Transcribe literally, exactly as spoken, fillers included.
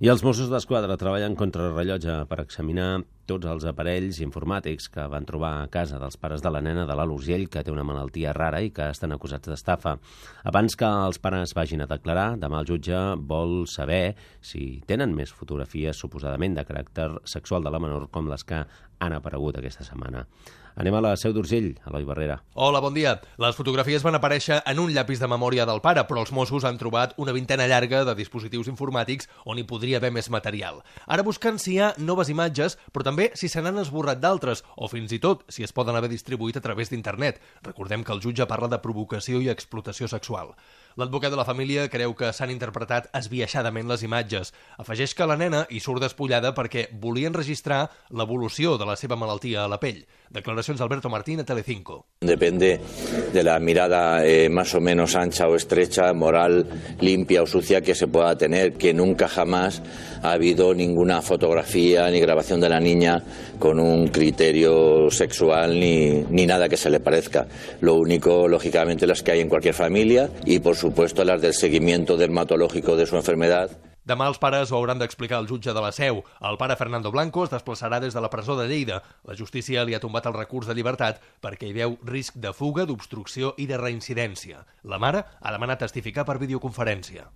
I els Mossos d'Esquadra treballen contra el rellotge per examinar tots els aparells informàtics que van trobar a casa dels pares de la nena de l'Alt Urgell, que té una malaltia rara i que estan acusats d'estafa. Abans que els pares vagin a declarar, demà el jutge vol saber si tenen més fotografies suposadament de caràcter sexual de la menor com les que han aparegut aquesta setmana. Anem a la Seu d'Urgell, Eloi Barrera. Hola, bon dia. Les fotografies van aparèixer en un llapis de memòria del pare, però els Mossos han trobat una vintena llarga de dispositius informàtics on hi podria haver més material. Ara busquen si hi ha noves imatges, però també si se n'han esborrat d'altres, o fins i tot si es poden haver distribuït a través d'internet. Recordem que el jutge parla de provocació i explotació sexual. L'advocat de la família creu que s'han interpretat esbiaixadament les imatges. Afegeix que la nena hi surt despullada perquè volien registrar l'evolució de la seva malaltia a la pell. Declaracions d'Alberto Martín a Telecinco. Depende de la mirada eh, más o menos ancha o estrecha, moral, limpia o sucia que se pueda tener, que nunca jamás ha habido ninguna fotografía ni grabación de la niña con un criterio sexual ni, ni nada que se le parezca. Lo único, lógicamente, las que hay en cualquier familia y, por supuesto, las del seguimiento dermatológico de su enfermedad. Demà els pares ho hauran d'explicar al jutge de la Seu. El pare Fernando Blanco es desplaçarà des de la presó de Lleida. La justícia li ha tombat el recurs de llibertat perquè hi veu risc de fuga, d'obstrucció i de reincidència. La mare ha demanat testificar per videoconferència.